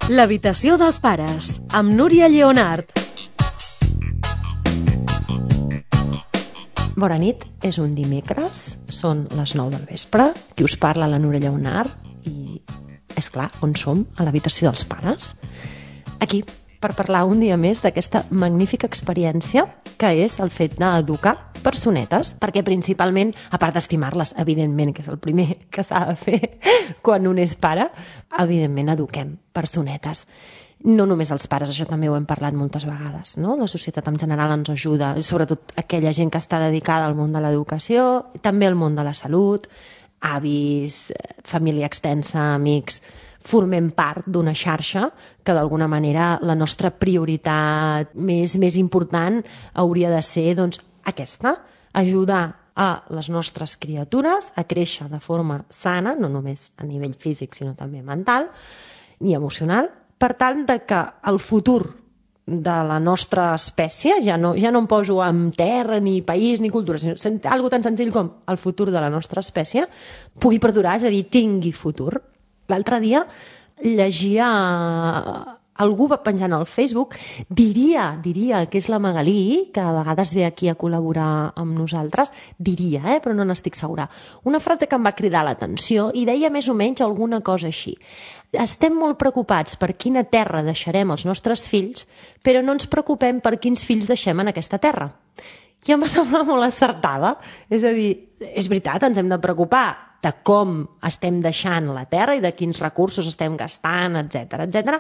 L'habitació dels pares, amb Núria Lleonart. Bona nit, és un dimecres, són les 9 del vespre, qui us parla la Núria Lleonart i, és clar, on som? A l'habitació dels pares. Aquí, per parlar un dia més d'aquesta magnífica experiència que és el fet d'educar personetes, perquè principalment, a part d'estimar-les, evidentment, que és el primer que s'ha de fer quan un és pare, evidentment eduquem personetes. No només els pares, això també ho hem parlat moltes vegades, no? La societat en general ens ajuda, sobretot aquella gent que està dedicada al món de l'educació, també al món de la salut, avis, família extensa, amics. Formem part d'una xarxa que d'alguna manera la nostra prioritat més important hauria de ser doncs, aquesta, ajudar a les nostres criatures a créixer de forma sana, no només a nivell físic sinó també mental i emocional, per tant de que el futur de la nostra espècie, ja no em poso en terra, ni país, ni cultura, sinó algo tan senzill com el futur de la nostra espècie, pugui perdurar, és a dir, tingui futur. L'altre dia llegia, algú va penjant al Facebook, diria que és la Magalí, que a vegades ve aquí a col·laborar amb nosaltres, diria, però no n'estic segura, una frase que em va cridar l'atenció i deia més o menys alguna cosa així. Estem molt preocupats per quina terra deixarem als nostres fills, però no ens preocupem per quins fills deixem en aquesta terra. I em va semblar molt acertada. És a dir, és veritat, ens hem de preocupar de com estem deixant la terra i de quins recursos estem gastant, etc.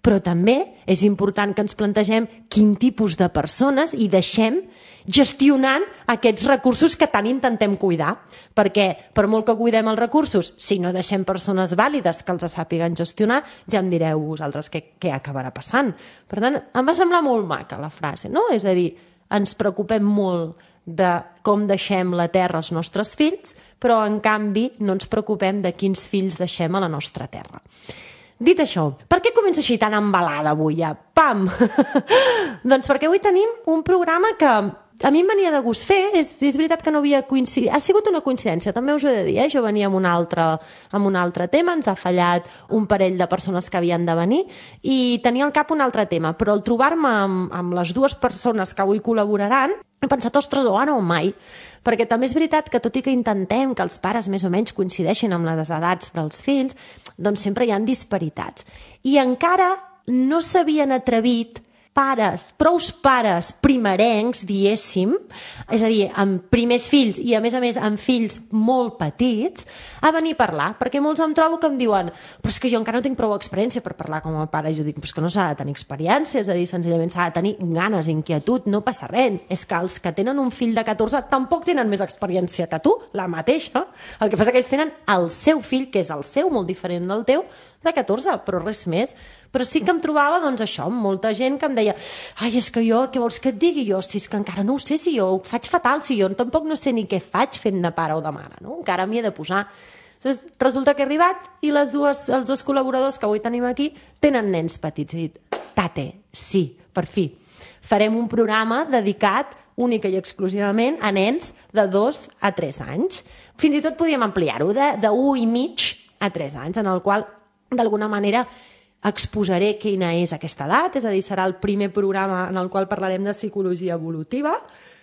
Però també és important que ens plantegem quin tipus de persones hi deixem gestionant aquests recursos que tant intentem cuidar. Perquè per molt que cuidem els recursos, si no deixem persones vàlides que els sàpiguen gestionar, ja em direu vosaltres què acabarà passant. Per tant, em va semblar molt maca la frase, no? És a dir, ens preocupem molt de com deixem la terra als nostres fills, però en canvi no ens preocupem de quins fills deixem a la nostra terra. Dit això, per què començo així tan embalada avui ja? Pam! Doncs perquè avui tenim un programa que a mi em venia de gust fer, és veritat que no havia coincidit, ha sigut una coincidència, també us ho he de dir, jo venia amb un altre tema, ens ha fallat un parell de persones que havien de venir i tenia al cap un altre tema, però al trobar-me amb les dues persones que avui col·laboraran, he pensat, ostres, o ara o mai, perquè també és veritat que tot i que intentem que els pares més o menys coincideixin amb les edats dels fills, doncs sempre hi ha disparitats. I encara no s'havien atrevit prous pares primerencs, diéssim, és a dir, amb primers fills i a més amb fills molt petits, a venir a parlar, perquè molts em trobo que em diuen però és que jo encara no tinc prou experiència per parlar com a pare, i jo dic, però és que no s'ha de tenir experiència, és a dir, senzillament s'ha de tenir ganes, inquietud, no passa res, és que els que tenen un fill de 14 tampoc tenen més experiència que tu, la mateixa, el que passa que ells tenen el seu fill, que és el seu, molt diferent del teu, de 14, però res més. Però sí que em trobava, doncs això, amb molta gent que em deia ai, és que jo, què vols que et digui jo? Si és que encara no ho sé, si jo ho faig fatal, si jo tampoc no sé ni què faig fent de pare o de mare, no? Encara m'hi he de posar. Doncs resulta que he arribat i els dos col·laboradors que avui tenim aquí tenen nens petits. He dit, tate, sí, per fi. Farem un programa dedicat única i exclusivament a nens de 2 a 3 anys. Fins i tot podíem ampliar-ho de 1 i mig a 3 anys, en el qual d'alguna manera exposaré quina és aquesta edat, és a dir, serà el primer programa en el qual parlarem de psicologia evolutiva,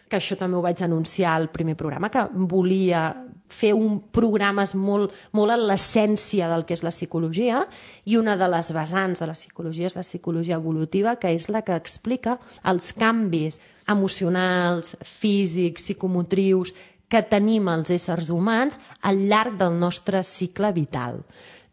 que això també ho vaig anunciar al primer programa, que volia fer programes molt a l'essència del que és la psicologia, i una de les vessants de la psicologia és la psicologia evolutiva, que és la que explica els canvis emocionals, físics, psicomotrius que tenim els éssers humans al llarg del nostre cicle vital.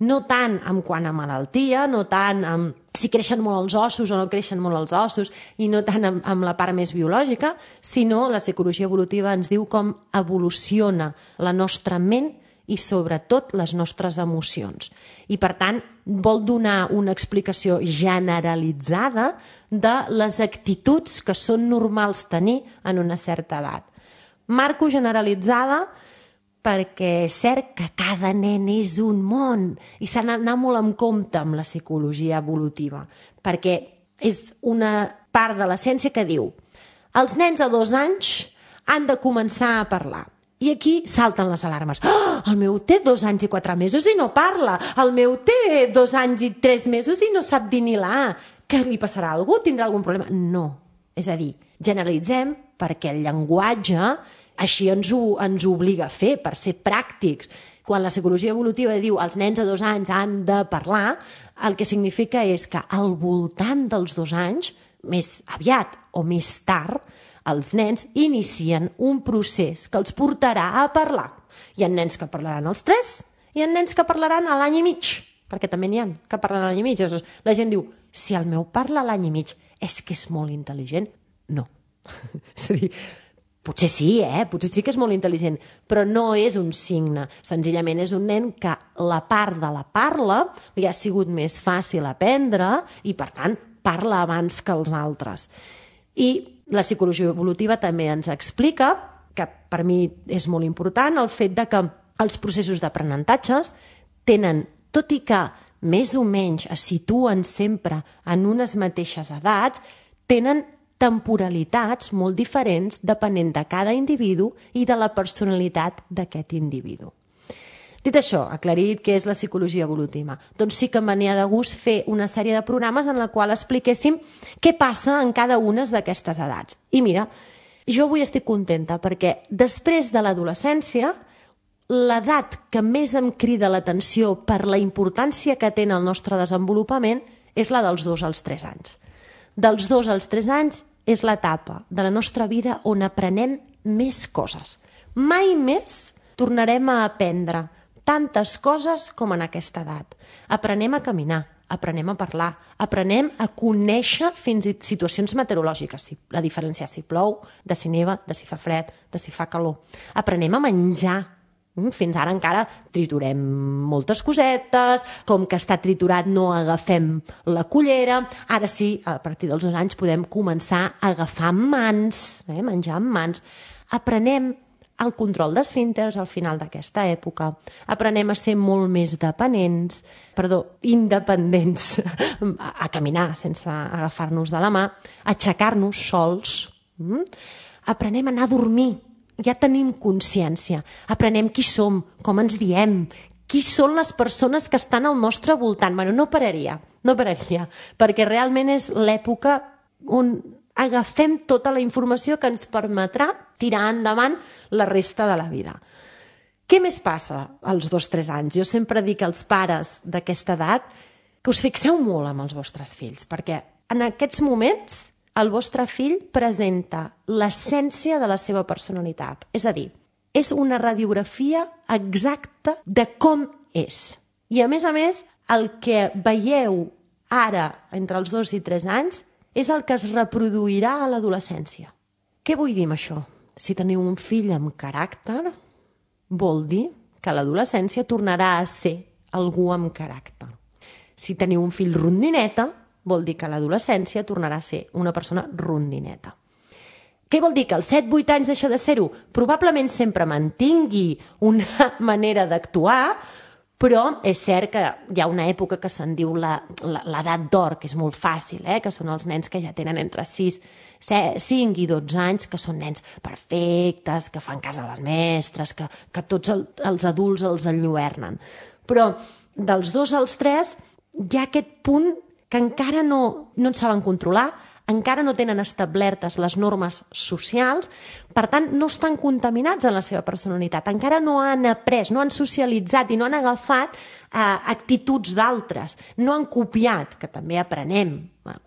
No tant en quant a malaltia, no tant en si creixen molt els ossos o no creixen molt els ossos, i no tant amb la part més biològica, sinó la psicologia evolutiva ens diu com evoluciona la nostra ment i sobretot les nostres emocions. I per tant vol donar una explicació generalitzada de les actituds que són normals tenir en una certa edat. Marco generalitzada perquè és cert que cada nen és un món i s'ha d'anar molt en compte amb la psicologia evolutiva, perquè és una part de la ciència que diu els nens a 2 anys han de començar a parlar I aquí salten les alarmes. Oh, el meu té 2 anys i 4 mesos i no parla. El meu té 2 anys i 3 mesos i no sap dir ni la A. Què li passarà a algú? Tindrà algun problema? No. És a dir, generalitzem perquè el llenguatge així ens ho obliga a fer, per ser pràctics. Quan la psicologia evolutiva diu els nens a 2 anys han de parlar, el que significa és que al voltant dels 2 anys, més aviat o més tard, els nens inicien un procés que els portarà a parlar. Hi ha nens que parlaran als 3, hi ha nens que parlaran a l'any i mig, perquè també n'hi ha que parlen a l'any i mig. La gent diu, si el meu parla a l'any i mig, és que és molt intel·ligent? No. És a dir, potser sí, potser sí que és molt intel·ligent, però no és un signe. Senzillament és un nen que la part de la parla li ha sigut més fàcil aprendre i, per tant, parla abans que els altres. I la psicologia evolutiva també ens explica, que per mi és molt important, el fet de que els processos d'aprenentatges tenen, tot i que més o menys es situen sempre en unes mateixes edats, tenen temporalitats molt diferents depenent de cada individu i de la personalitat d'aquest individu. Dit això, aclarit què és la psicologia evolutiva, doncs sí que em venia de gust fer una sèrie de programes en la qual expliquéssim què passa en cada una d'aquestes edats. I mira, jo avui estic contenta perquè després de l'adolescència, l'edat que més em crida l'atenció per la importància que té en el nostre desenvolupament és la dels 2 als 3 anys. Dels 2 als 3 anys és l'etapa de la nostra vida on aprenem més coses. Mai més tornarem a aprendre tantes coses com en aquesta edat. Aprenem a caminar, aprenem a parlar, aprenem a conèixer fins i tot situacions meteorològiques, la diferència si plou, de si neva, de si fa fred, de si fa calor. Aprenem a menjar. Fins ara encara triturem moltes cosetes, com que està triturat no agafem la cullera. Ara sí, a partir dels 2 anys podem començar a agafar amb mans, menjar amb mans. Aprenem el control d'esfínters al final d'aquesta època. Aprenem a ser molt més independents, a caminar sense agafar-nos de la mà, a aixecar-nos sols. Aprenem a anar a dormir. Ja tenim consciència. Aprenem qui som, com ens diem, qui són les persones que estan al nostre voltant. Bueno, no pararia, perquè realment és l'època on agafem tota la informació que ens permetrà tirar endavant la resta de la vida. Què més passa als 2-3 anys? Jo sempre dic als pares d'aquesta edat que us fixeu molt amb els vostres fills, perquè en aquests moments el vostre fill presenta l'essència de la seva personalitat. És a dir, és una radiografia exacta de com és. I a més, el que veieu ara entre els 2 i 3 anys és el que es reproduirà a l'adolescència. Què vull dir amb això? Si teniu un fill amb caràcter, vol dir que a l'adolescència tornarà a ser algú amb caràcter. Si teniu un fill rondineta, vol dir que a l'adolescència tornarà a ser una persona rondineta. Què vol dir? Que als 7-8 anys deixa de ser-ho? Probablement sempre mantingui una manera d'actuar, però és cert que hi ha una època que se'n diu l'edat d'or, que és molt fàcil, que són els nens que ja tenen entre 5 i 12 anys, que són nens perfectes, que fan cas a les mestres, que tots els adults els enlluernen. Però dels 2 als 3 hi ha aquest punt que encara no en saben controlar, encara no tenen establertes les normes socials, per tant no estan contaminats en la seva personalitat, encara no han après, no han socialitzat i no han agafat actituds d'altres, no han copiat, que també aprenem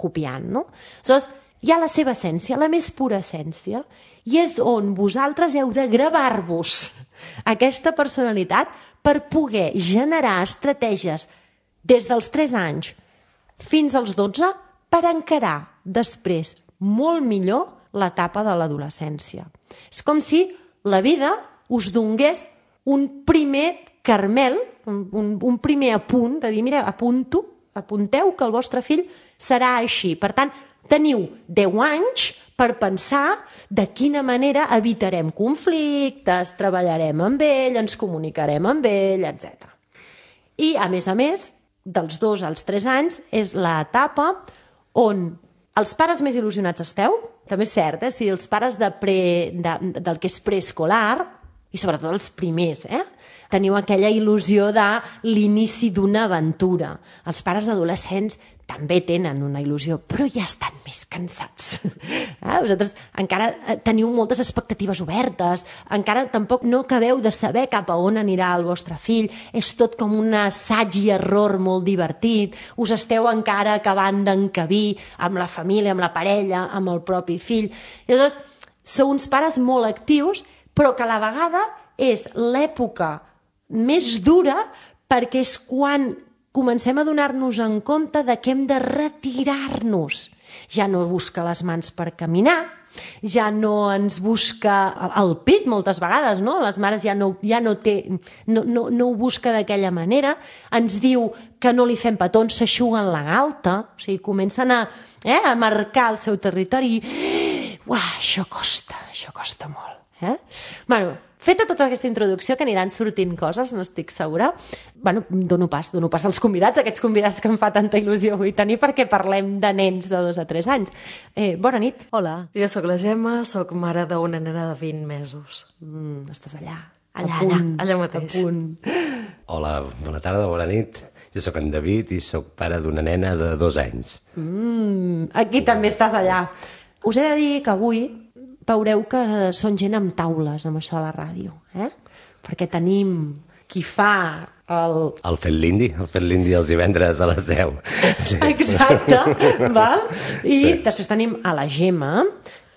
copiant, no? Aleshores, hi ha la seva essència, la més pura essència, i és on vosaltres heu de gravar-vos aquesta personalitat per poder generar estratègies des dels 3 anys fins als 12 per encarar després molt millor l'etapa de l'adolescència. És com si la vida us donés un primer carmel, un primer apunt, de dir, mira, apunteu que el vostre fill serà així. Per tant, teniu 10 anys per pensar de quina manera evitarem conflictes, treballarem amb ell, ens comunicarem amb ell, etc. I, a més, dels 2 als 3 anys és l'etapa on els pares més il·lusionats esteu, també és cert, si els pares del que és preescolar, i sobretot els primers, teniu aquella il·lusió de l'inici d'una aventura. Els pares adolescents també tenen una il·lusió, però ja estan més cansats. Vosaltres encara teniu moltes expectatives obertes, encara tampoc no acabeu de saber cap a on anirà el vostre fill, és tot com un assaig i error molt divertit, us esteu encara acabant d'encabir amb la família, amb la parella, amb el propi fill. I llavors, sou uns pares molt actius, però que a la vegada és l'època més dura perquè és quan comencem a donar-nos en compte de que hem de retirar-nos. Ja no busca les mans per caminar, ja no ens busca el pit moltes vegades, no? Les mares ja no ho busca d'aquella manera, ens diu que no li fem petons, s'eixuguen la galta, o sigui, comencen a marcar el seu territori i això costa molt. Bueno, feta tota aquesta introducció, que aniran sortint coses, n'estic segura, dono pas als convidats, aquests convidats que em fa tanta il·lusió avui tenir, perquè parlem de nens de 2 a 3 anys. Bona nit. Hola. Jo sóc la Gemma, sóc mare d'una nena de 20 mesos. Estàs allà. Allà mateix. A punt. Hola, bona tarda, bona nit. Jo sóc en David i sóc pare d'una nena de 2 anys. Aquí també estàs allà. Us he de dir que avui veureu que són gent amb taules, amb això de la ràdio, perquè tenim qui fa El Fet l'Indi els divendres a les 10. Sí. Exacte, val? I després tenim a la Gemma,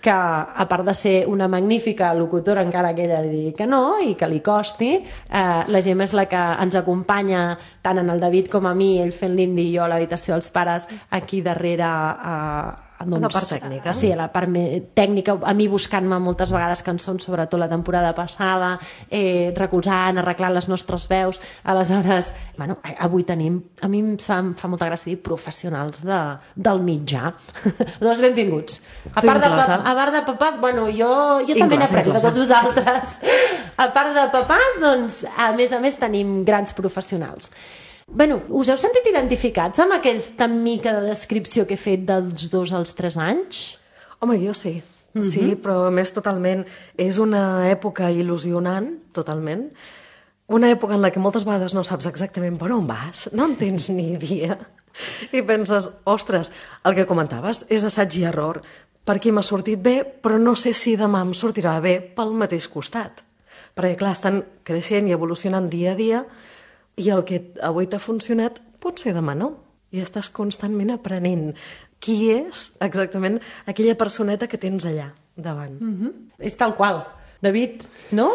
que a part de ser una magnífica locutora, encara que ella digui que no i que li costi, la Gemma és la que ens acompanya tant en el David com a mi, ell fent l'indi i jo a l'habitació dels pares, aquí darrere la part tècnica. Sí, la part tècnica, a mi buscant-me moltes vegades cançons, sobretot la temporada passada, recolzant, arreglant les nostres veus. Aleshores, avui tenim, a mi em fa molta gràcia dir professionals del mitjà. Doncs benvinguts. A part de papàs, jo també n'aprenc de tots vosaltres. A part de papàs, doncs, a més tenim grans professionals. Us heu sentit identificats amb aquesta mica de descripció que he fet dels 2 als 3 anys? Home, jo sí. Sí, però a més totalment. És una època il·lusionant, totalment. Una època en la que moltes vegades no saps exactament per on vas, no en tens ni idea. I penses, ostres, el que comentaves és assaig i error. Per aquí m'ha sortit bé, però no sé si demà em sortirà bé pel mateix costat. Perquè, clar, estan creixent i evolucionant dia a dia, i el que avui t'ha funcionat potser demà no. I estàs constantment aprenent qui és exactament aquella personeta que tens allà davant. És tal qual. David, no?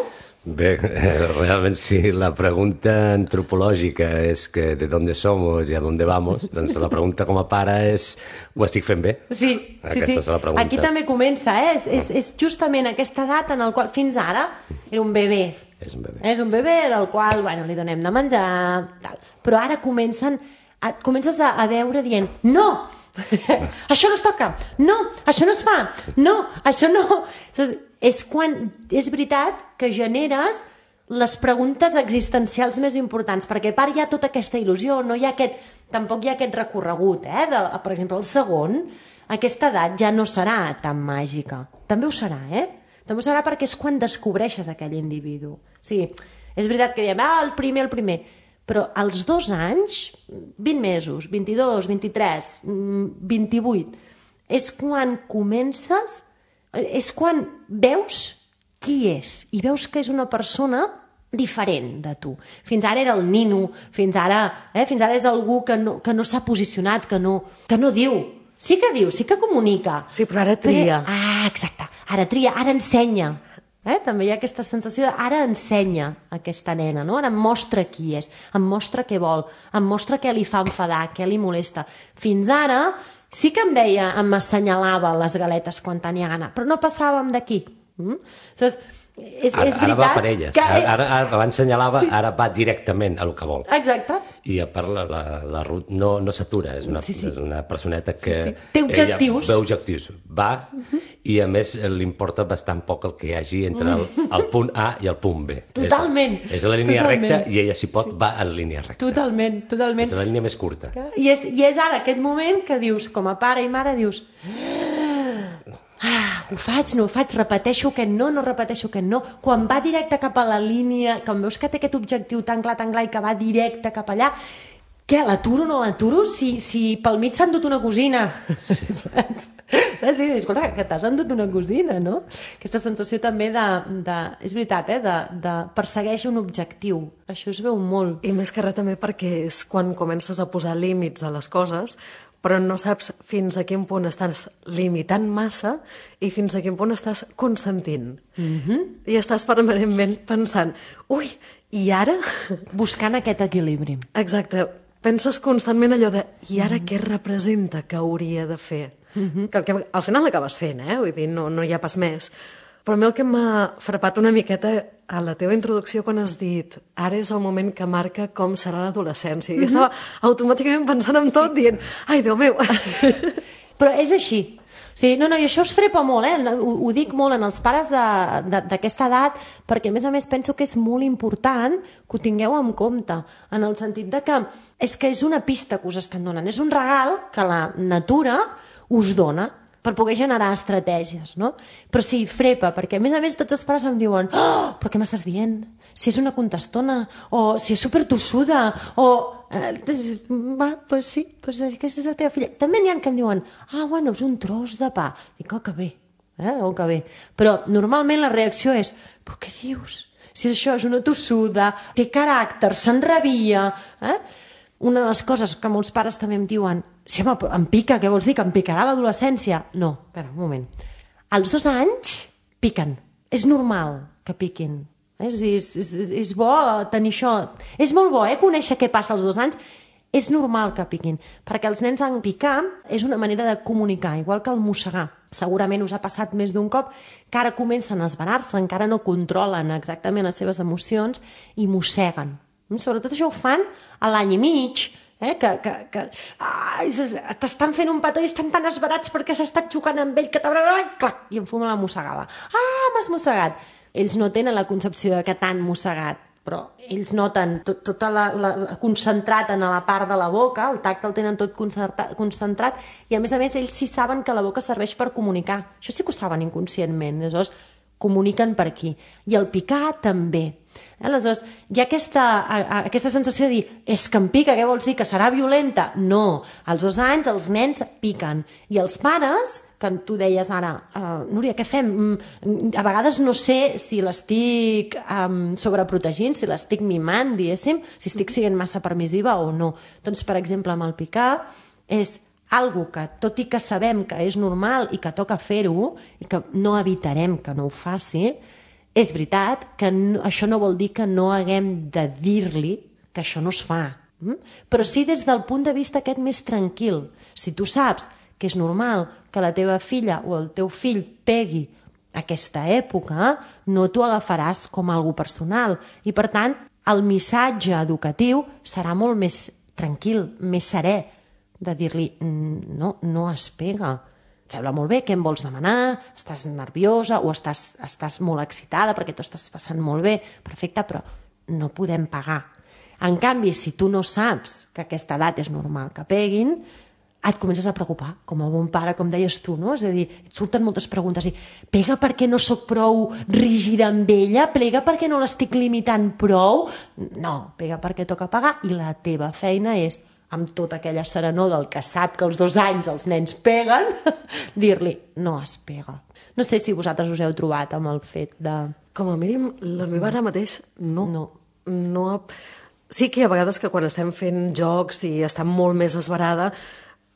Bé, realment sí, la pregunta antropològica és que de dónde somos y a dónde vamos, doncs la pregunta com a pare és ho estic fent bé? Sí. Aquesta és la pregunta. Aquí també comença, és justament aquesta edat en la qual fins ara era un bebè. És un bebè al qual li donem de menjar, tal. Però ara comences a veure dient no, això no es toca, no, això no es fa, no, això no. És quan és veritat que generes les preguntes existencials més importants, perquè a part hi ha tota aquesta il·lusió, tampoc hi ha aquest recorregut, per exemple, el segon, aquesta edat ja no serà tan màgica. També ho serà, També ho serà perquè és quan descobreixes aquell individu. Sí, és veritat que diem, el primer, però als 2 anys, 20 mesos, 22, 23, 28, és quan comences, és quan veus qui és, i veus que és una persona diferent de tu. Fins ara era el nino, fins ara és algú que no s'ha posicionat, que no diu. Sí que diu, sí que comunica. Sí, però ara tria. Exacte. Ara tria, ara ensenya. També hi ha aquesta sensació de ara ensenya aquesta nena, no? Ara em mostra qui és, em mostra què vol, em mostra què li fa enfadar, què li molesta. Fins ara sí que em assenyalava les galetes quan tenia gana, però no passàvem d'aquí. És veritat... Ara va per elles. Abans assenyalava, ara va directament a lo que vol. Exacte. I a part la Ruth no s'atura, és una personeta que... Té objectius. Ve objectius. Va, i a més li importa bastant poc el que hi hagi entre el punt A i el punt B. Totalment. És la línia recta i ella, si pot, va en línia recta. Totalment. És la línia més curta. I és ara aquest moment que dius, com a pare i mare, dius... ho faig, no ho faig, repeteixo aquest no, no repeteixo aquest no. Quan va directe cap a la línia, quan veus que té aquest objectiu tan clar i que va directe cap allà, què, l'aturo o no l'aturo? Si pel mig s'ha endut una cosina. Sí. Saps? Escolta, que t'has endut una cosina, no? Aquesta sensació també és veritat, de persegueix un objectiu. Això es veu molt. I més que res també perquè és quan comences a posar límits a les coses, però no saps fins a quin punt estàs limitant massa i fins a quin punt estàs consentint. I estàs permanentment pensant, ui, i ara? Buscant aquest equilibri. Exacte. Penses constantment allò de, i ara què representa que hauria de fer? Que al final l'acabes fent, vull dir, no hi ha pas més. Però a mi el que m'ha frapat una miqueta a la teva introducció quan has dit ara és el moment que marca com serà l'adolescència. I estava automàticament pensant en tot, dient, ai, Déu meu! Però és així. Sí, no, i això us frepa molt, ho dic molt en els pares d'aquesta edat, perquè a més penso que és molt important que ho tingueu en compte, en el sentit de que és una pista que us estan donant, és un regal que la natura us dona per poder generar estratègies, no? Però sí, frepa, perquè a més tots els pares em diuen però què m'estàs dient? Si és una contestona, o si és supertossuda, o... sí, aquesta és la teva filla. També n'hi ha que em diuen, bueno, és un tros de pa. Dic, que bé, que bé. Però normalment la reacció és, però què dius? Si això és una tossuda, té caràcter, s'enrabia... Una de les coses que molts pares també em diuen, sí, home, em pica, què vols dir, que em picarà l'adolescència? No, espera, un moment. Als 2 anys piquen. És normal que piquin. És bo tenir això. És molt bo, conèixer què passa als 2 anys. És normal que piquin, perquè els nens en picar és una manera de comunicar, igual que el mossegar. Segurament us ha passat més d'un cop que ara comencen a esverar-se, encara no controlen exactament les seves emocions i mosseguen. Sobretot això ho fan a l'any i mig, que t'estan fent un petó i estan tan esverats perquè s'ha estat jugant amb ell que clac, i em fuma la mossegada. M'has mossegat. Ells no tenen la concepció de que t'han mossegat, però ells noten tot concentrat en la part de la boca, el tacte el tenen tot concentrat, i a més ells sí saben que la boca serveix per comunicar. Això sí que ho saben inconscientment, aleshores comuniquen per aquí. I el picar també. Aleshores, hi ha aquesta sensació de dir, és que em pica, què vols dir, que serà violenta? No, als 2 anys els nens piquen. I els pares, que tu deies ara, Núria, què fem? A vegades no sé si l'estic sobreprotegint, si l'estic mimant, diguéssim, si estic sent massa permissiva o no. Doncs, per exemple, amb el picar és algo que, tot i que sabem que és normal i que toca fer-ho, i que no evitarem que no ho faci, és veritat que això no vol dir que no haguem de dir-li que això no es fa. Però sí des del punt de vista aquest més tranquil. Si tu saps que és normal que la teva filla o el teu fill pegui aquesta època, no t'ho agafaràs com algo personal. I per tant, el missatge educatiu serà molt més tranquil, més serè, de dir-li, no es pega. Et sembla molt bé, què em vols demanar? Estàs nerviosa o estàs molt excitada perquè t'ho estàs passant molt bé? Perfecte, però no podem pagar. En canvi, si tu no saps que aquesta edat és normal que peguin, et comences a preocupar, com a bon pare, com deies tu, no? És a dir, et surten moltes preguntes. Pega perquè no sóc prou rígida amb ella? Pega perquè no l'estic limitant prou? No, pega perquè toca pagar i la teva feina és, amb tota aquella serenor del que sap que als 2 anys els nens peguen, dir-li, no es pega. No sé si vosaltres us heu trobat amb el fet de... Com a mínim, la meva ara mateix no. Sí que hi ha vegades que quan estem fent jocs i està molt més esverada,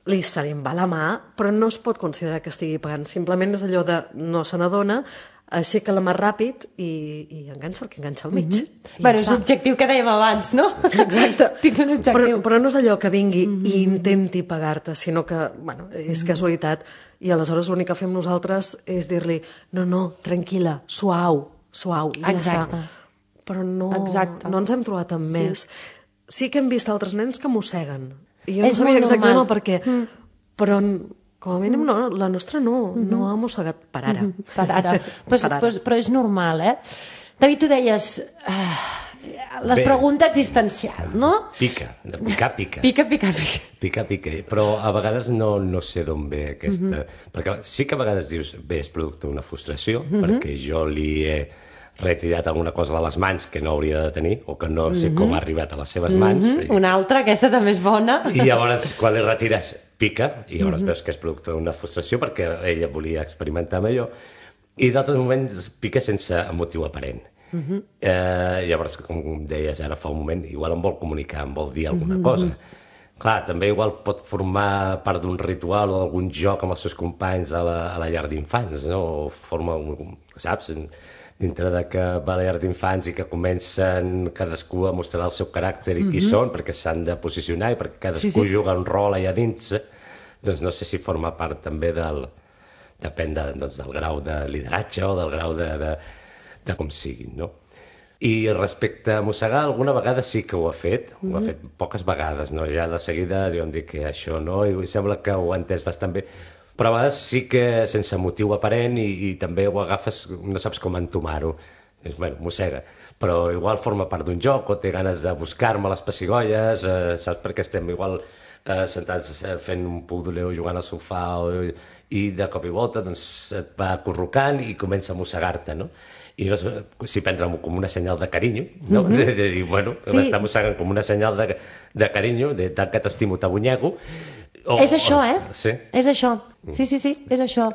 se li en va la mà, però no es pot considerar que estigui pagant. Simplement és allò de no se n'adona, aixeca la mà ràpid i enganxa el que enganxa al mig. Bueno, és l'objectiu que dèiem abans, no? Exacte. Tinc un objectiu. Però no és allò que vingui i intenti pagar-te, sinó que, és casualitat. I aleshores l'únic que fem nosaltres és dir-li, no, tranquil·la, suau, i ja està. Però no ens hem trobat amb més. Sí que hem vist altres nens que mosseguen. I jo no sabia exactament el per què. Però... Com a mínim, no, la nostra no ha mossegat per ara. Per ara. Però és normal, David, tu deies, La pregunta existencial, no? Pica. Pica. Però a vegades no sé d'on ve aquesta... Perquè sí que a vegades dius, bé, és producte d'una frustració, perquè jo li he retirat alguna cosa de les mans que no hauria de tenir, o que no sé com ha arribat a les seves mans. Una altra, aquesta també és bona. I llavors, quan li retires, pica, i llavors veus que és producte d'una frustració perquè ella volia experimentar amb allò, i d'altres moments pica sense motiu aparent. Llavors, com deies ara fa un moment, igual em vol comunicar, em vol dir alguna cosa. Clar, també igual pot formar part d'un ritual o d'algun joc amb els seus companys a la llar d'infants, no? O forma, saps, dintre de que va a la llar d'infants i que comencen cadascú a mostrar el seu caràcter i qui són, perquè s'han de posicionar i perquè cadascú juga un rol allà dins, doncs no sé si forma part també depèn del grau de lideratge o del grau de com siguin, no? I respecte a mossegar, alguna vegada sí que ho ha fet poques vegades, no? Ja de seguida em dic que això no, i sembla que ho ha entès bastant bé, però a vegades sí que sense motiu aparent i també ho agafes, no saps com entomar-ho. Bueno, mossega, però igual forma part d'un joc o té ganes de buscar-me les pessigolles, saps, perquè estem igual sentats fent un pudoleu jugant al sofà i de cop i volta doncs et va acurrucant i comença a mossegar-te, no? I no sé si prendre-m'ho com una senyal de carinyo, no? De dir, bueno, m'està mossegant com una senyal de carinyo, de tant que t'estimo, t'abunyego. És això, Sí. És això. Sí, és això.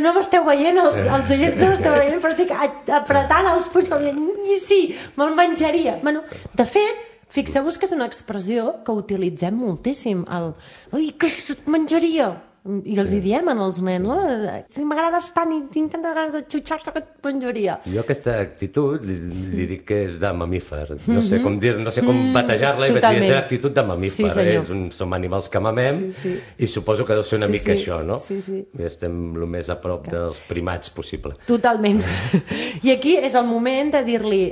No m'esteu veient, els oients no m'esteu veient, però estic apretant els punys com dient, sí, me'l menjaria. Bueno, de fet, fixeu-vos que és una expressió que utilitzem moltíssim. Ui, que et menjaria. I els hi diem als nens, no? Si m'agrades tant i tinc tantes ganes de xutxar-te que et menjaria. Jo aquesta actitud li dic que és de mamífer. No sé com dir, no sé com batejar-la i vaig dir, és l'actitud de mamífer. Som animals que mamem i suposo que deu ser una mica això, no? Sí. I estem el més a prop dels primats possible. Totalment. I aquí és el moment de dir-li,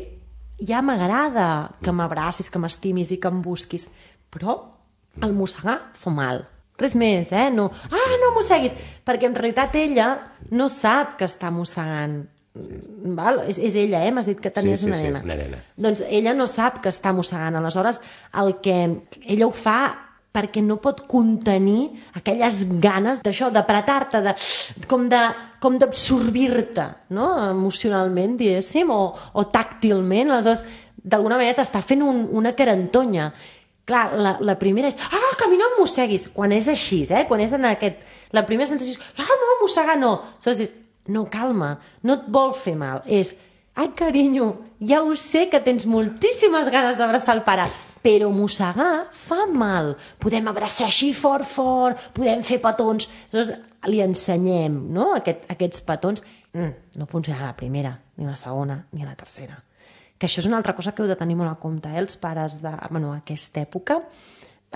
ja m'agrada que m'abracis, que m'estimis i que em busquis, però el mossegar fa mal. Res més, no mosseguis, perquè en realitat ella no sap que està mossegant. Val? És ella, m'has dit que tenies una nena. Una nena. Doncs ella no sap que està mossegant, aleshores el que ella ho fa perquè no pot contenir aquelles ganes d'això, d'apretar-te, com d'absorbir-te, no? Emocionalment, diguéssim, o tàctilment, aleshores d'alguna manera t'està fent una carantonya. Clar, la primera és, que a mi no em mosseguis, quan és així, quan és en aquest... La primera sensació és, no, mossegar no. Aleshores és, no, calma, no et vol fer mal. És, carinyo, ja ho sé que tens moltíssimes ganes d'abraçar el pare, però mossegar fa mal. Podem abraçar així fort, podem fer petons. Aleshores, li ensenyem, no?, aquests petons. No funciona la primera, ni la segona, ni la tercera. Que això és una altra cosa que heu de tenir molt en compte, els pares d'aquesta època.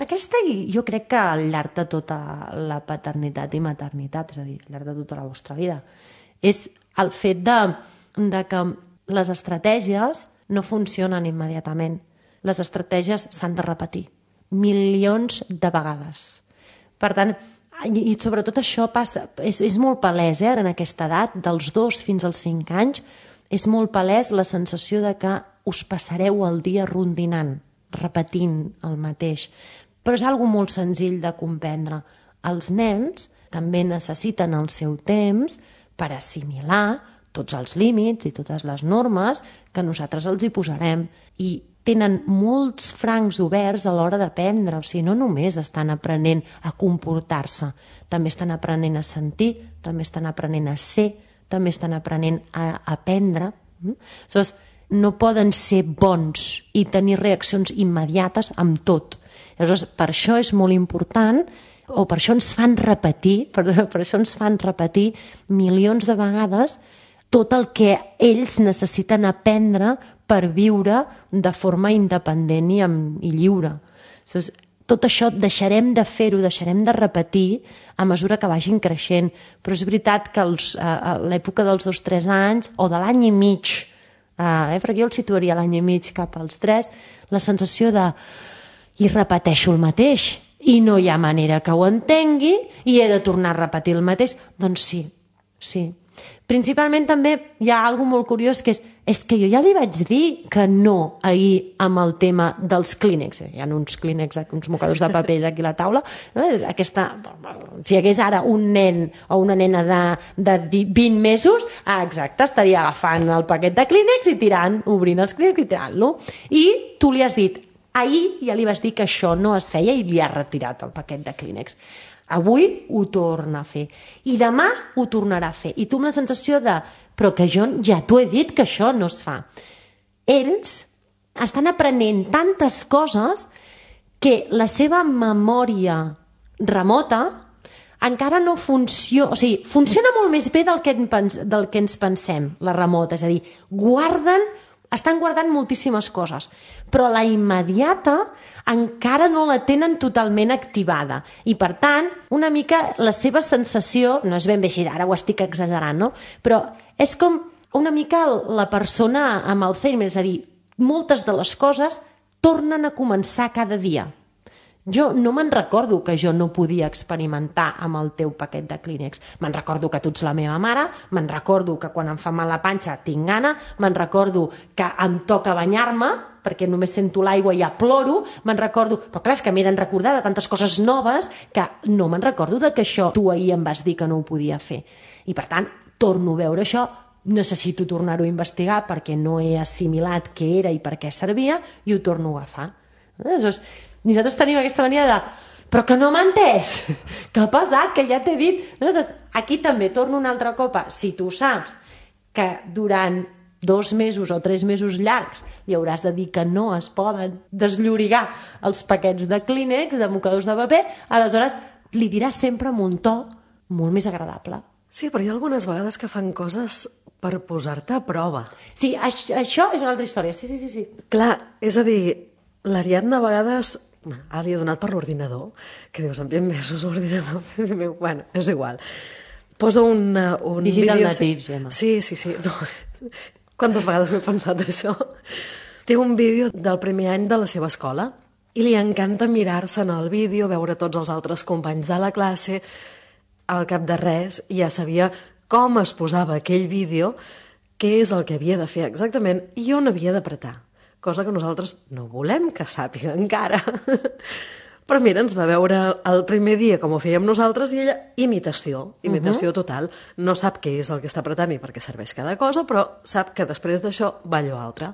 Aquesta, jo crec que al llarg de tota la paternitat i maternitat, és a dir, al llarg de tota la vostra vida, és el fet de que les estratègies no funcionen immediatament. Les estratègies s'han de repetir milions de vegades. Per tant, i sobretot això passa, és molt palès, en aquesta edat, dels 2 fins als 5 anys, és molt palès la sensació de que us passareu el dia rondinant, repetint el mateix. Però és algo molt senzill de comprendre. Els nens també necessiten el seu temps per assimilar tots els límits i totes les normes que nosaltres els hi posarem. I tenen molts francs oberts a l'hora d'aprendre, o sigui, no només estan aprenent a comportar-se, també estan aprenent a sentir, també estan aprenent a ser, també estan aprenent a aprendre. Aleshores, no poden ser bons i tenir reaccions immediates amb tot. Aleshores, per això és molt important, o per això ens fan repetir, milions de vegades tot el que ells necessiten aprendre per viure de forma independent i lliure. Aleshores, tot això deixarem de fer-ho, deixarem de repetir a mesura que vagin creixent. Però és veritat que a l'època dels 2-3 anys, o de l'any i mig, perquè jo el situaria l'any i mig cap als 3, la sensació de i repeteixo el mateix, i no hi ha manera que ho entengui, i he de tornar a repetir el mateix, doncs sí. Principalment també hi ha alguna molt curiós que és que jo ja li vaig dir que no ahir amb el tema dels clínex. Hi ha uns clínex, uns mocadors de papers aquí a la taula. Si hi hagués ara un nen o una nena de 20 mesos, exacte, estaria agafant el paquet de clínex i obrint els clínex i tirant-lo. I tu li has dit, ahir ja li vas dir que això no es feia i li has retirat el paquet de clínex. Avui ho torna a fer. I demà ho tornarà a fer. I tu amb la sensació però que jo ja t'ho he dit que això no es fa. Ells estan aprenent tantes coses que la seva memòria remota encara no funciona... O sigui, funciona molt més bé del que ens pensem, la remota. És a dir, estan guardant moltíssimes coses, però la immediata encara no la tenen totalment activada. I, per tant, una mica la seva sensació, no és ben bé així, ara ho estic exagerant, no? Però és com una mica la persona amb Alzheimer, és a dir, moltes de les coses tornen a començar cada dia. Jo no me'n recordo que jo no podia experimentar amb el teu paquet de clínex. Me'n recordo que tu ets la meva mare, me'n recordo que quan em fa mal la panxa tinc gana, me'n recordo que em toca banyar-me, perquè només sento l'aigua i ja ploro, me'n recordo... Però clar, és que m'he de recordar de tantes coses noves que no me'n recordo de que això tu ahir em vas dir que no ho podia fer. I per tant, torno a veure això, necessito tornar-ho a investigar perquè no he assimilat què era i per què servia i ho torno a agafar. Aleshores, nosaltres tenim aquesta mania de però que no m'ha entès, que ha passat, que ja t'he dit. Aleshores, aquí també torno una altra copa. Si tu saps que durant 2 mesos o 3 mesos llargs li hauràs de dir que no es poden desllorigar els paquets de clínex, de mocadors de paper, aleshores li diràs sempre amb un to molt més agradable. Sí, però hi ha algunes vegades que fan coses per posar-te a prova. Sí, això és una altra història, sí. Clar, és a dir, l'Ariadna a vegades... Ara li he donat per l'ordinador, que dius, en 20 mesos l'ordinador... Bueno, és igual. Posa un Digital vídeo... native, Gemma. Sí. No. Quantes vegades m'he pensat això? Té un vídeo del primer any de la seva escola i li encanta mirar-se en el vídeo, veure tots els altres companys de la classe. Al cap de res ja sabia com es posava aquell vídeo, què és el que havia de fer exactament i on havia d'apretar. Cosa que nosaltres no volem que sàpiga encara. Però mira, ens va veure el primer dia com ho fèiem nosaltres i ella, imitació total. No sap què és el que està apretant i per què serveix cada cosa, però sap que després d'això va allò altre.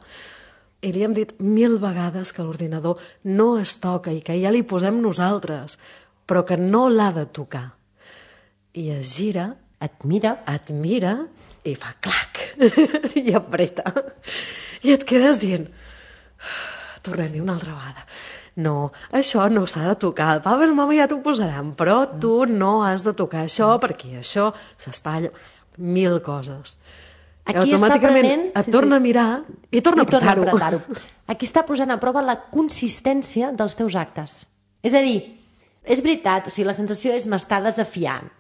I li hem dit 1000 vegades que l'ordinador no es toca i que ja li posem nosaltres, però que no l'ha de tocar. I es gira, et mira i fa clac i apreta. I et quedes dient... Tornem-hi una altra vegada. No, això no s'ha de tocar. El papa i la mama ja t'ho posaran, però tu no has de tocar això perquè això s'espatlla. 1000 coses. Aquí i automàticament et torna a mirar i torna a apretar-ho. Aquí està posant a prova la consistència dels teus actes. És a dir, és veritat, o sigui, la sensació és m'està desafiant.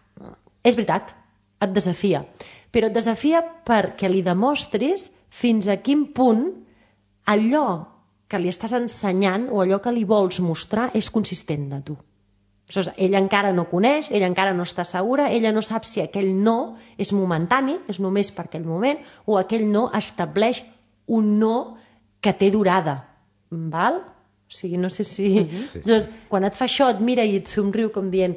És veritat, et desafia. Però et desafia perquè li demostris fins a quin punt allò que li estàs ensenyant o allò que li vols mostrar és consistent de tu. Ella encara no coneix, ella encara no està segura, ella no sap si aquell no és momentani, és només per aquell moment, o aquell no estableix un no que té durada. Val? O sigui, no sé si... Sí. Llavors, quan et fa això, et mira i et somriu com dient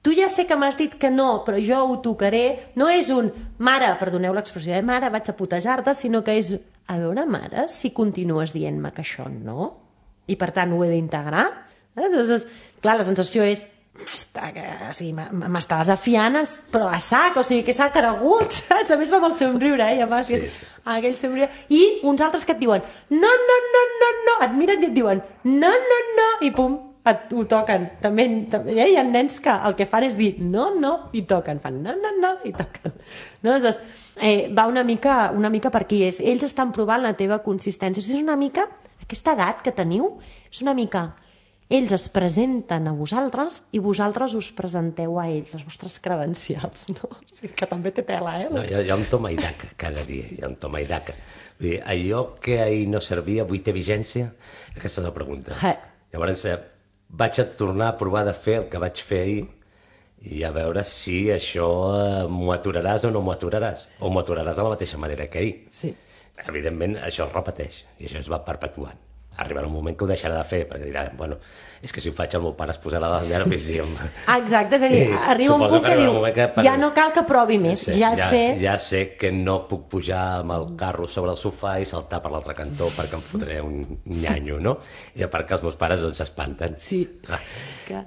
tu ja sé que m'has dit que no, però jo ho tocaré. No és un mare, perdoneu l'expressió, mare, vaig a putejar-te, sinó que és a veure, mare, si continues dient-me que això no, i per tant ho he d'integrar. Llavors, clar, la sensació és m'està desafiant, però a sac, o sigui, que s'ha cregut, saps? A més va amb el somriure, Sí. Aquell somriure. I uns altres que et diuen no, et miren i et diuen no, i pum, ho toquen. També hi ha nens que el que fan és dir no, i toquen. Fan no, i toquen. No? Llavors, va una mica per aquí. Ells estan provant la teva consistència. És una mica, aquesta edat que teniu, és una mica... Ells es presenten a vosaltres i vosaltres us presenteu a ells, les vostres credencials, no? O sigui, que també té tela, No, hi ha un toma i daca cada dia, hi ha un toma i daca. Vull dir, allò que ahir no servia, avui té vigència? Aquesta és la pregunta. Llavors, vaig a tornar a provar de fer el que vaig fer ahir i a veure si això m'ho aturaràs o no m'ho aturaràs, o m'ho aturaràs de la mateixa manera que ahir. Sí. Evidentment, això es repeteix, i això es va perpetuant. Arribarà un moment que ho deixarà de fer, perquè dirà, bueno, és que si ho faig el meu pare es posarà la llar i Exacte, és a dir, arriba un punt que diu, ja no cal que provi més, ja sé que no puc pujar amb el carro sobre el sofà i saltar per l'altre cantó perquè em fotré un nyanyo, no? I a part que els meus pares s'espanten. Sí.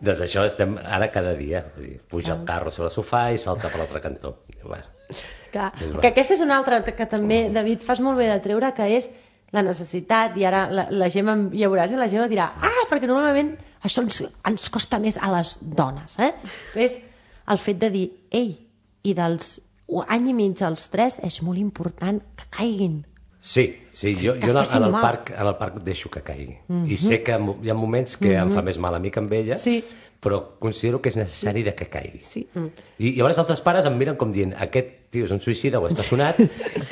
Doncs això estem ara cada dia, puja el carro sobre el sofà i salta per l'altre cantó. Que aquesta és una altra que també, David, fas molt bé de treure, que és la necessitat, i ara la Gemma, ja veuràs, la Gemma dirà, perquè normalment això ens costa més a les dones, és el fet de dir, ei, i dels any i mig als 3 és molt important que caiguin. Sí, jo en el parc deixo que caigui. I sé que hi ha moments que em fa més mal a mi que amb ella, però considero que és necessari que caigui. Sí. I llavors altres pares em miren com dient, aquest tio és un suïcida o està sonat,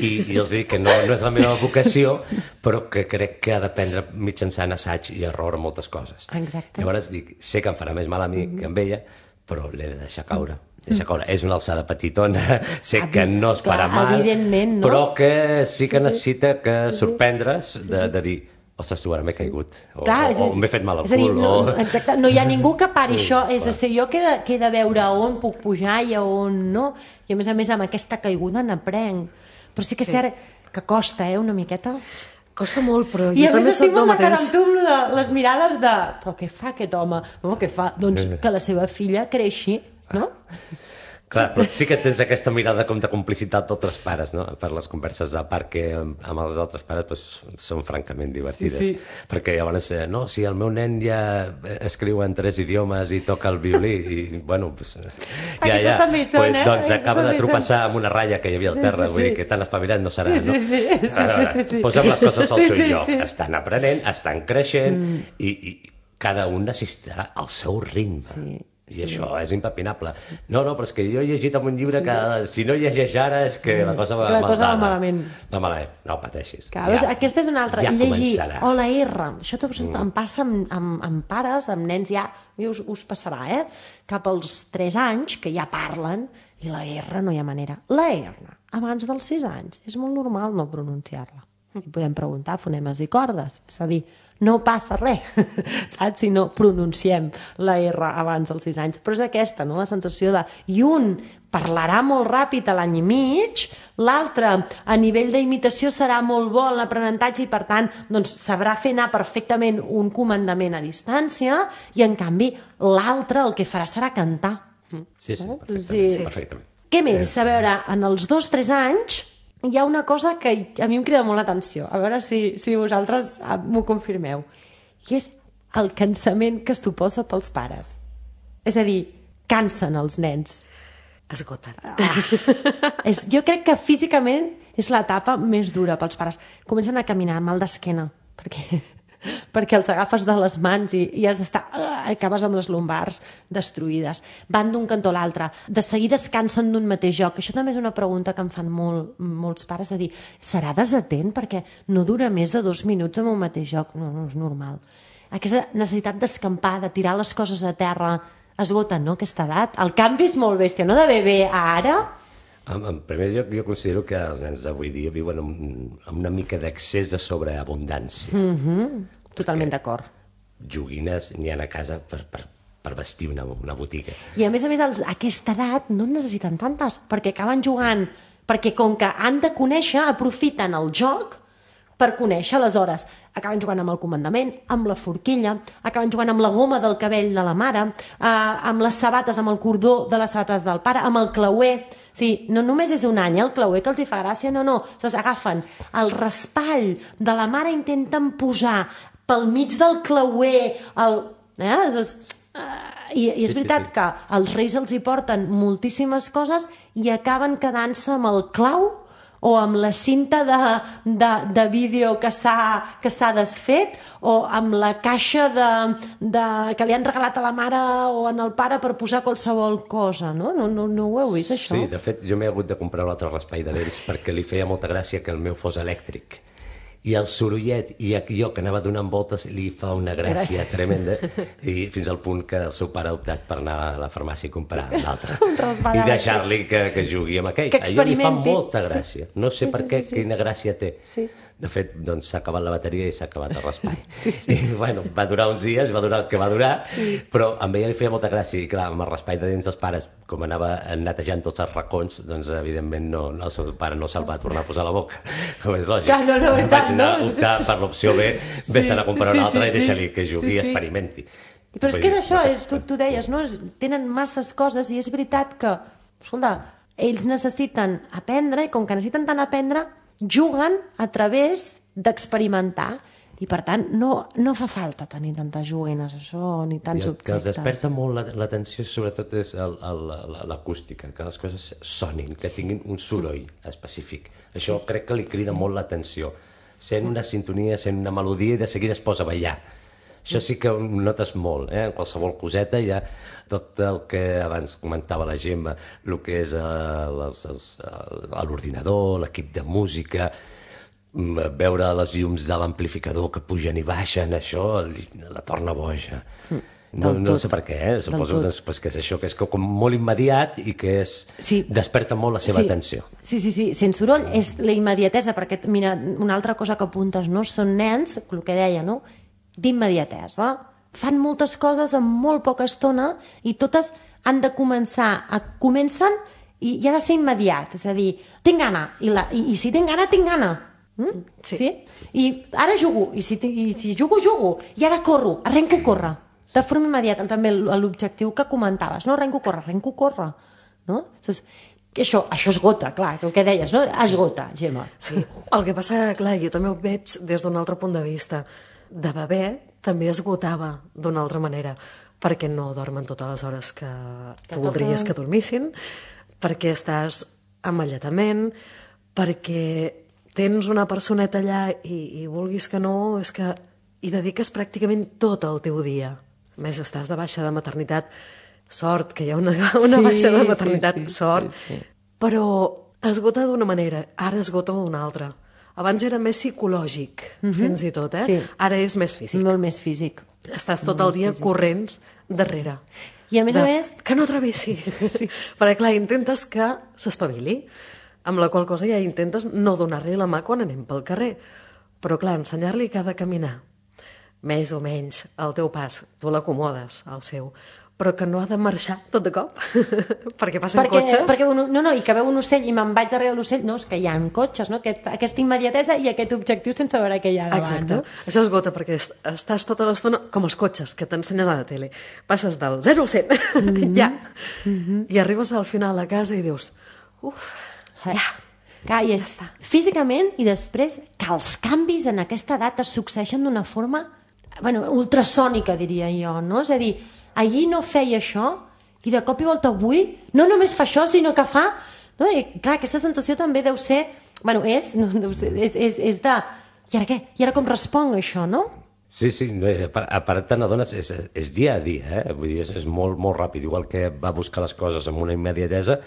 i els dic que no és la meva vocació, però que crec que ha d'aprendre mitjançant assaig i error moltes coses. Exacte. Llavors dic, sé que em farà més mal a mi que amb ella, però l'he de deixar caure. És una alçada petitona, sé que no es farà mal, però que sí que necessita que sorprendre's de dir, ostres, tu, ara m'he caigut, o m'he fet mal al cul. Exacte, no hi ha ningú que pari això, és a dir, jo que he de veure on puc pujar i on no, i a més amb aquesta caiguda n'aprenc. Però sí que és cert que costa, una miqueta. Costa molt, però jo també soc del mateix. I a més estic molt d'acord amb tu de les mirades de, però què fa aquest home? Què fa? Doncs que la seva filla creixi, no? Clar, però sí que tens aquesta mirada com de complicitat d'altres pares, no? Per les converses de parc que amb els altres pares són francament divertides. Sí. Perquè llavors, no, si el meu nen ja escriu en 3 idiomes i toca el violí, i bueno, doncs acaba de tropeçar amb una ratlla que hi havia al terra, vull dir que tan espavilat no serà, no? Sí. Posem les coses al seu lloc. Estan aprenent, estan creixent, i cada un necessitarà el seu ritme. I això és impepinable. No, però és que jo he llegit en un llibre que si no llegeix ara és que la cosa va malament. No pateixis. Aquesta és una altra. Ja començarà. O la R. Això em passa amb pares, amb nens ja, us passarà, cap als 3 anys, que ja parlen, i la R no hi ha manera. La R, abans dels 6 anys, és molt normal no pronunciar-la. I podem preguntar fonemes i cordes. És a dir, no passa res, saps? Si no pronunciem la R abans dels 6 anys. Però és aquesta, no?, la sensació de... I un parlarà molt ràpid a l'any i mig, l'altre a nivell d'imitació serà molt bo en l'aprenentatge i, per tant, doncs, sabrà fer anar perfectament un comandament a distància, i, en canvi, l'altre el que farà serà cantar. Sí, perfectament. Què més? A veure, en els 2-3 anys... hi ha una cosa que a mi em crida molt l'atenció, a veure si vosaltres m'ho confirmeu, i és el cansament que suposa pels pares. És a dir, cansen els nens. Esgoten. Jo crec que físicament és l'etapa més dura pels pares. Comencen a caminar mal d'esquena, perquè els agafes de les mans i has d'estar... acabes amb les lumbars destruïdes. Van d'un cantó a l'altre. De seguida es cansen d'un mateix joc. Això també és una pregunta que em fan molts pares, de dir, serà desatent perquè no dura més de 2 minuts en un mateix joc? No és normal. Aquesta necessitat d'escampar, de tirar les coses a terra, esgoten, no?, aquesta edat. El canvi és molt bèstia, no?, de bebè a ara... En primer lloc, jo considero que els nens d'avui dia viuen amb una mica d'excés de sobreabundància. Totalment d'acord. Joguines n'hi ha a casa per vestir una botiga. I a més, a aquesta edat no en necessiten tantes, perquè acaben jugant, perquè com que han de conèixer, aprofiten el joc per conèixer, aleshores acaben jugant amb el comandament, amb la forquilla, acaben jugant amb la goma del cabell de la mare, amb les sabates, amb el cordó de les sabates del pare, amb el clauer. O sigui, no només és un any el clauer que els hi fa gràcia, no. Agafen el raspall de la mare, intenten posar pel mig del clauer, i és veritat que els reis els hi porten moltíssimes coses i acaben quedant-se amb el clau o amb la cinta de vídeo que s'ha desfet, o amb la caixa que li han regalat a la mare o al pare per posar qualsevol cosa, no? No ho heu vist, això? Sí, de fet, jo m'he hagut de comprar un altre raspall de dents perquè li feia molta gràcia que el meu fos elèctric. i el sorollet, i jo que anava donant voltes, li fa una gràcia tremenda, i fins al punt que el seu pare ha optat per anar a la farmàcia i comprar l'altre. I deixar-li que jugui amb aquell. Que A ell li fa experimenti. molta gràcia. No sé per què, quina gràcia té. Sí. De fet, doncs, s'ha acabat la bateria i s'ha acabat el raspall. I, bueno, va durar uns dies, va durar el que va durar, però a ella li feia molta gràcia. I clar, amb el raspall de dents dels pares, com anava netejant tots els racons, doncs evidentment el seu pare no se'l va tornar a posar a la boca, com és lògic. Clar, no, Vaig anar a optar per l'opció B, vés-te'n a comprar una altra i deixa-li que jugui i Sí. experimenti. Però és que és això, Moltes tu deies, no? Tenen masses coses i és veritat que, escolta, ells necessiten aprendre i com que necessiten tant aprendre, juguen a través d'experimentar i per tant no fa falta tenir tantes joguines això ni tants I el que els objectes. desperta molt l'atenció sobretot és l'acústica, que les coses sonin, que tinguin un soroll específic. Això crec que li crida molt l'atenció. Sent una sintonia, sent una melodia i de seguida es posa a ballar. Això sí que ho notes molt, en qualsevol coseta hi ha tot el que abans comentava la Gemma, el que és l'ordinador, l'equip de música, veure les llums de l'amplificador que pugen i baixen, això la torna boja. No sé per què, suposo doncs, que és això, que és com molt immediat i que desperta molt la seva atenció. Sí, sense soroll és la immediatesa, perquè mira, una altra cosa que apuntes, no? Són nens, el que deia, no? D'immediatesa. Fan moltes coses en molt poca estona i totes han de comencen i ha de ser immediat, és a dir, tinc gana, i si tinc gana, tinc gana. Sí? I ara jugo, i si jugo, i ara corro, arrenco a córrer. De forma immediata, també l'objectiu que comentaves, no? Arrenco a córrer. No? Això esgota, clar, el que deies, no? Esgota, Gemma. Sí, el que passa, clar, jo també ho veig des d'un altre punt de vista. De bebè també esgotava d'una altra manera, perquè no dormen totes les hores que tu voldries que dormissin, perquè estàs amb alletament, perquè tens una personeta allà i vulguis que no, és que hi dediques pràcticament tot el teu dia. A més, estàs de baixa de maternitat, sort, que hi ha una baixa de maternitat, sort, però esgota d'una manera, ara esgota d'una altra. Abans era més psicològic, fins i tot, Ara és més físic. Molt més físic. Estàs tot el dia corrents darrere. I a més a més... Que no travessi. Perquè, clar, intentes que s'espavili, amb la qual cosa ja intentes no donar-li la mà quan anem pel carrer. Però, clar, ensenyar-li que ha de caminar més o menys al teu pas, tu l'acomodes al seu, però que no ha de marxar tot de cop, perquè passen cotxes. I que veu un ocell i me'n vaig darrere l'ocell, no, és que hi ha cotxes, no? Aquesta immediatesa i aquest objectiu sense veure què hi ha davant. Exacte. No? Això esgota, perquè estàs tota l'estona com els cotxes que t'ensenyen a la tele. Passes del 0 al 100, ja. I arribes al final a casa i dius, ja. Clar, i és físicament i després que els canvis en aquesta edat es succeeixen d'una forma ultrasònica, diria jo, no? És a dir, ahir no feia això i de cop i volta avui no només fa això, sinó que fa... No? I clar, aquesta sensació també deu ser... és de... I ara què? I ara com responc a això, no? Sí, a part te n'adones, és dia a dia, vull dir, és molt, molt ràpid, igual que va buscar les coses amb una immediatesa,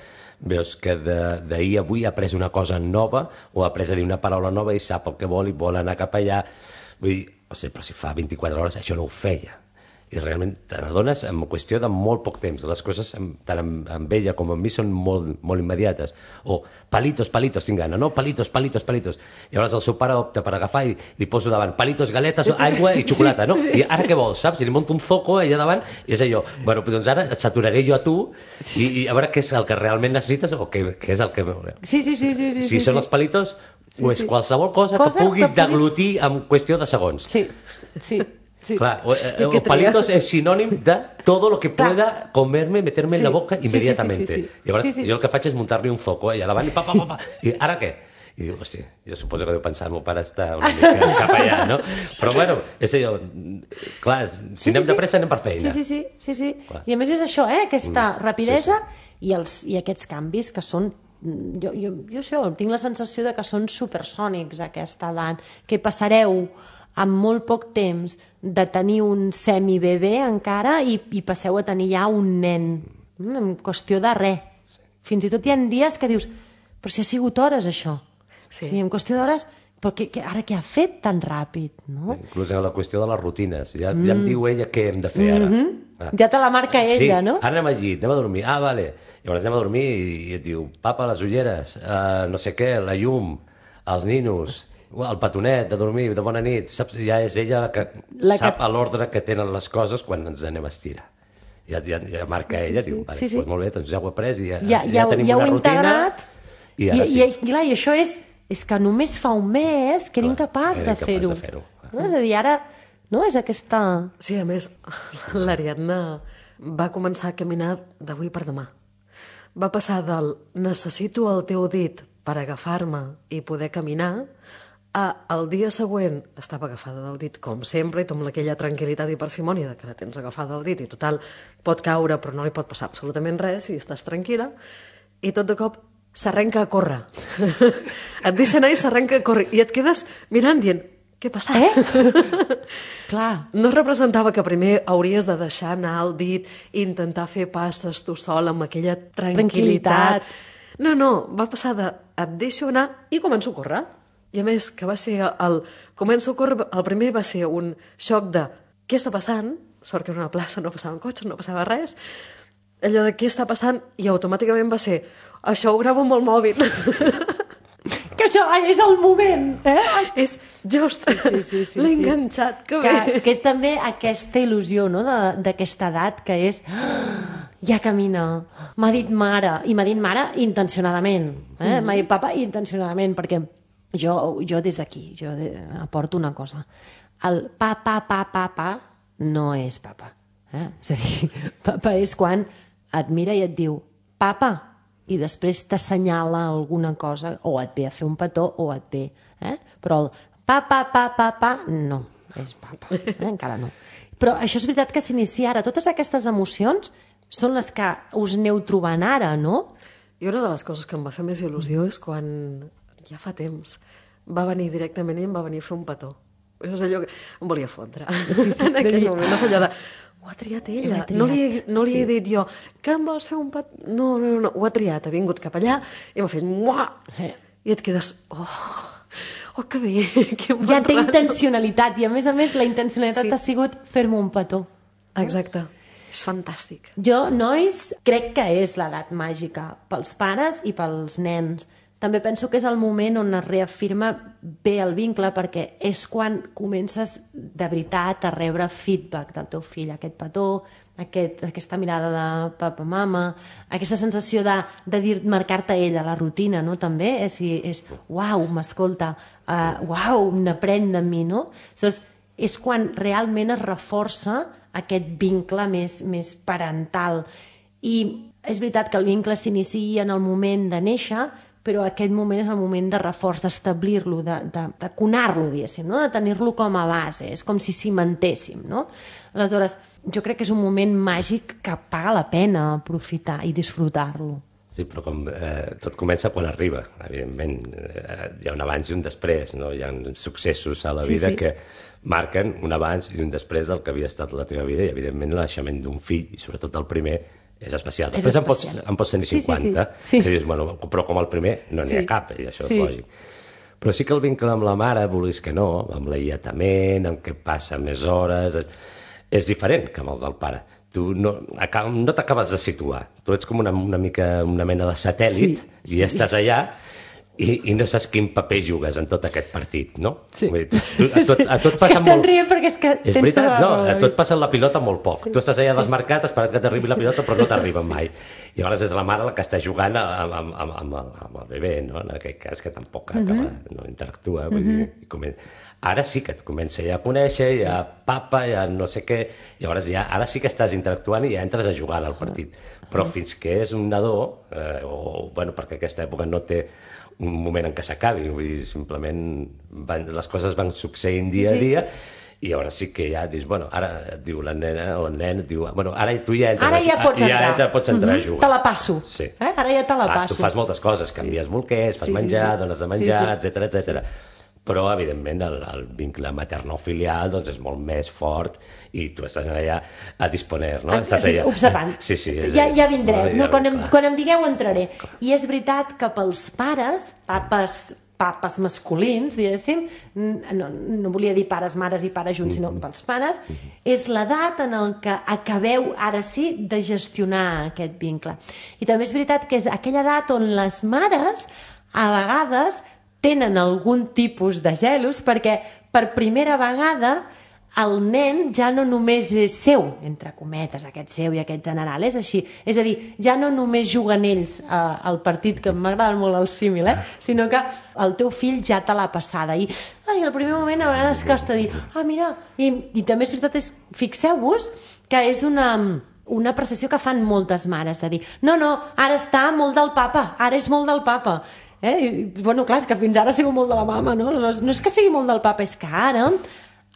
veus que d'ahir a avui ha après una cosa nova o ha après a dir una paraula nova i sap el que vol i vol anar cap allà. Vull dir, però si fa 24 hores això no ho feia. I realment te n'adones en qüestió de molt poc temps. Les coses, tant amb ella com amb mi, són molt, molt immediates. O palitos, tinc gana, no? Palitos. Llavors el seu pare opta per agafar i li poso davant palitos, galetes, aigua i xocolata, no? I ara què vols, saps? I li monto un zoco allà davant i és allò. Bueno, doncs ara et saturaré jo a tu i a veure què és el que realment necessites o què és el que... Sí. Si són els palitos, o és qualsevol cosa que puguis deglutir en qüestió de segons. Sí. Claro, o palitos es sinònim de todo lo que pueda comerme, meterme en la boca inmediatamente. I llavors jo el que faig és muntar-li un foco allà davant i pa. I ara què? I diu, hòstia, jo suposo que deu pensar el meu pare està una mica cap allà, no? Però bueno, és allò, clar, si anem de pressa anem per feina. Sí. I a més és això, aquesta rapidesa i aquests canvis que són... Jo això, tinc la sensació de que són supersònics a aquesta edat, que passareu en molt poc temps de tenir un semibebè encara i passeu a tenir ja un nen en qüestió de res. Fins i tot hi ha dies que dius però si ha sigut hores això. En qüestió d'hores però ara què ha fet tan ràpid, no? Inclús en la qüestió de les rutines. Ja em diu ella què hem de fer ara. Ja te la marca ella, no? Sí, ara anem al llit, anem a dormir. Ah, vale. Llavors anem a dormir i et diu, papa, les ulleres, no sé què, la llum, els ninos, el petonet de dormir, de bona nit. Saps? Ja és ella la que sap a l'ordre que tenen les coses quan ens anem a estirar. Ja marca ella, diu, vale, doncs molt bé, doncs ja ho he après i ja tenim una rutina. I ara sí. I això és que només fa un mes que era incapaç de fer-ho. No? És a dir, ara no és aquesta... Sí, a més, l'Ariadna va començar a caminar d'avui per demà. Va passar del necessito el teu dit per agafar-me i poder caminar a el dia següent estava agafada del dit com sempre i amb aquella tranquil·litat i parsimònia que la tens agafada del dit i total pot caure però no li pot passar absolutament res si estàs tranquil·la i tot de cop s'arrenca a córrer. Et deixa anar i s'arrenca a córrer. I et quedes mirant dient, què ha passat? Clar. No representava que primer hauries de deixar anar el dit i intentar fer passes tu sol amb aquella tranquil·litat. No, va passar de et deixo anar i començo a córrer. I a més, que va ser començo a córrer, el primer va ser un xoc de què està passant? Sort que era una plaça, no passaven cotxes, no passava res. Allò de què està passant i automàticament va ser això ho gravo amb el mòbil. Que això és el moment, És just, l'he enganxat, que bé. Que és també aquesta il·lusió, no?, d'aquesta edat, que és ja camina, m'ha dit mare, i m'ha dit mare intencionadament, m'ha dit papa intencionadament, perquè jo des d'aquí, jo aporto una cosa, el pa no és papa, és a dir, papa és quan et mira i et diu papa, i després t'assenyala alguna cosa, o et ve a fer un petó, o et ve, però el pa, no, és papa, encara no. Però això és veritat que s'inicia ara. Totes aquestes emocions són les que us aneu trobant ara, no? I una de les coses que em va fer més il·lusió és quan, ja fa temps, va venir directament i em va venir a fer un petó. És allò que em volia fondre. En aquell moment, no és allò de... Ho ha triat ella. No li he dit jo que em vols fer un petó. No, ho ha triat. Ha vingut cap allà i m'ha fet... I et quedes... Oh, que bé, que bon ja té rato. intencionalitat i a més la intencionalitat ha sigut fer-me un petó. Exacte. És fantàstic. Jo, nois, crec que és l'edat màgica pels pares i pels nens. També penso que és el moment on es reafirma bé el vincle perquè és quan comences de veritat a rebre feedback del teu fill, aquest petó, aquesta mirada de papa-mama, aquesta sensació de marcar-te ella la rutina, no? També és uau, m'escolta, uau, n'aprèn de mi, no? És quan realment es reforça aquest vincle més parental. I és veritat que el vincle s'inicia en el moment de néixer, però aquest moment és el moment de reforç, d'establir-lo, de conar-lo, diguéssim, no? De tenir-lo com a base, és com si cimentéssim, no? Aleshores, jo crec que és un moment màgic que paga la pena aprofitar i disfrutar-lo. Sí, però tot comença quan arriba, evidentment. Hi ha un abans i un després, no? Hi ha successos a la vida que marquen un abans i un després del que havia estat la teva vida i, evidentment, el naixement d'un fill, i sobretot el primer, és especial. Després en pots tenir 50, que dius, bueno, però com el primer no n'hi ha cap, i això és lògic. Però sí que el vincle amb la mare, vulguis que no, amb l'alletament, amb què passa més hores, és diferent que amb el del pare. Tu no t'acabes de situar. Tu ets com una mena de satèl·lit i ja estàs allà i no saps quin paper jugues en tot aquest partit, no? Sí. A tot passa estem rient perquè és que és tens veritat, tota la a tot passa la pilota molt poc. Tu estàs allà desmarcat, esperant que t'arribi la pilota, però no t'arriba mai. I llavors és la mare la que està jugant amb el bebè, no? En aquest cas, que tampoc no interactua. Ara sí que et comença ja a conèixer, ja papa, ja no sé què, llavors ara sí que estàs interactuant i ja entres a jugar al partit. Però fins que és un nadó, perquè aquesta època no té un moment en què s'acabi, vull dir, simplement les coses van succeint dia a dia i llavors sí que ja dius, bueno, ara et diu la nena o el nen, et diu, bueno, ara tu ja entres pots entrar a jugar. Te la passo. Sí. Ara ja te la passo. Tu fas moltes coses, canvies bolquers, fas menjar, dones de menjar, etcètera. Però, evidentment, el vincle materno-filial doncs, és molt més fort i tu estàs allà a disponer, no? Estàs allà observant. Sí, ja vindrem. Quan em digueu entraré. I és veritat que pels pares, papes, papes masculins, diguéssim, no volia dir pares, mares i pares junts, sinó pels pares, és l'edat en el que acabeu, ara sí, de gestionar aquest vincle. I també és veritat que és aquella edat on les mares, a vegades, tenen algun tipus de gelos perquè per primera vegada el nen ja no només és seu, entre cometes, aquest seu i aquest general, és així. És a dir, ja no només juguen ells al partit, que m'agrada molt el símil, sinó que el teu fill ja te l'ha passada. I al primer moment a vegades costa dir, mira, i també és veritat, fixeu-vos que és una apreciació que fan moltes mares, de dir, no, ara està molt del papa, ara és molt del papa. Bueno, clar, és que fins ara ha sigut molt de la mama, no? No és que sigui molt del papa, és que ara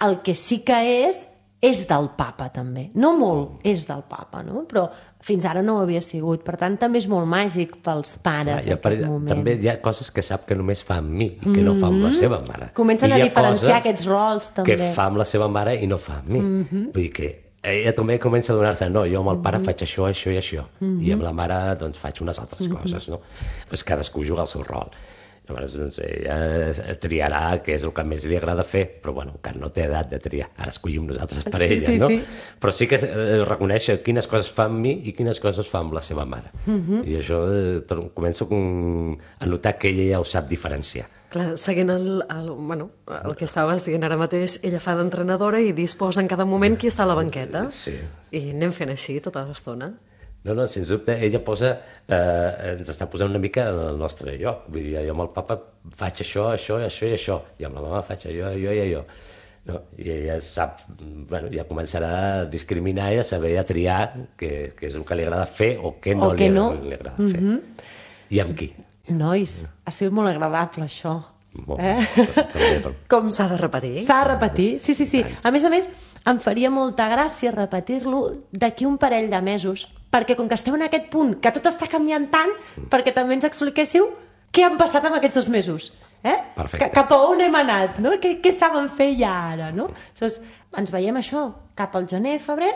el que sí que és del papa també. No molt, és del papa, no? Però fins ara no ho havia sigut. Per tant, també és molt màgic pels pares en aquest moment. També hi ha coses que sap que només fa amb mi i que no fa amb la seva mare. Comencen a diferenciar aquests rols, també. Que fa amb la seva mare i no fa amb mi. Vull dir que ella també comença a donar-se, no, jo amb el pare faig això, això i això, i amb la mare doncs faig unes altres coses, no? Pues cadascú juga el seu rol. Llavors, doncs, ella triarà què és el que més li agrada fer, però bueno, encara no té edat de triar. Ara escollim nosaltres per ella, no? Però sí que reconeix quines coses fa amb mi i quines coses fa amb la seva mare. I això començo a notar que ella ja ho sap diferenciar. Clar, seguint el que estaves dient ara mateix, ella fa d'entrenadora i disposa en cada moment qui està a la banqueta. Sí. I anem fent així tota l'estona. No, sens dubte, ella ens està posant una mica en el nostre lloc. Vull dir, jo amb el papa faig això, això i això, i amb la mama faig allò i allò. No? I ella sap, ja començarà a discriminar i a saber a triar què és el que li agrada fer o què no li agrada fer. I amb qui? Nois, ha sigut molt agradable això. Com s'ha de repetir? S'ha de repetir, sí. A més, em faria molta gràcia repetir-lo d'aquí un parell de mesos, perquè com que esteu en aquest punt, que tot està canviant tant, perquè també ens expliquéssiu què han passat en aquests 2 mesos. Cap a on hem anat, no? Què saben fer ja ara, no? Llavors, ens veiem això cap al gener, febrer,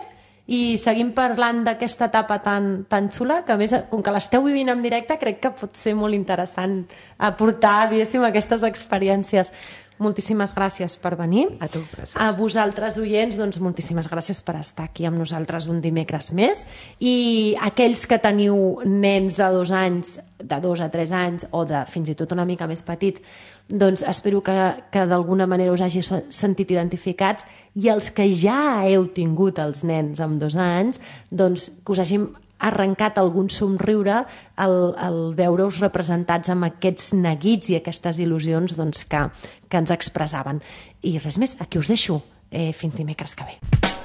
i seguim parlant d'aquesta etapa tan xula, que a més, com que l'esteu vivint en directe, crec que pot ser molt interessant aportar, diguéssim, aquestes experiències. Moltíssimes gràcies per venir. A tu. Gràcies. A vosaltres, oients, doncs moltíssimes gràcies per estar aquí amb nosaltres un dimecres més. I aquells que teniu nens de 2 anys, de 2 a 3 anys, o de fins i tot una mica més petits, doncs espero que d'alguna manera us hagi sentit identificats, i els que ja heu tingut els nens amb 2 anys, doncs que us hagin arrencat algun somriure al veure-us representats amb aquests neguits i aquestes il·lusions doncs, que ens expressaven. I res més, aquí us deixo. Fins dimecres que ve.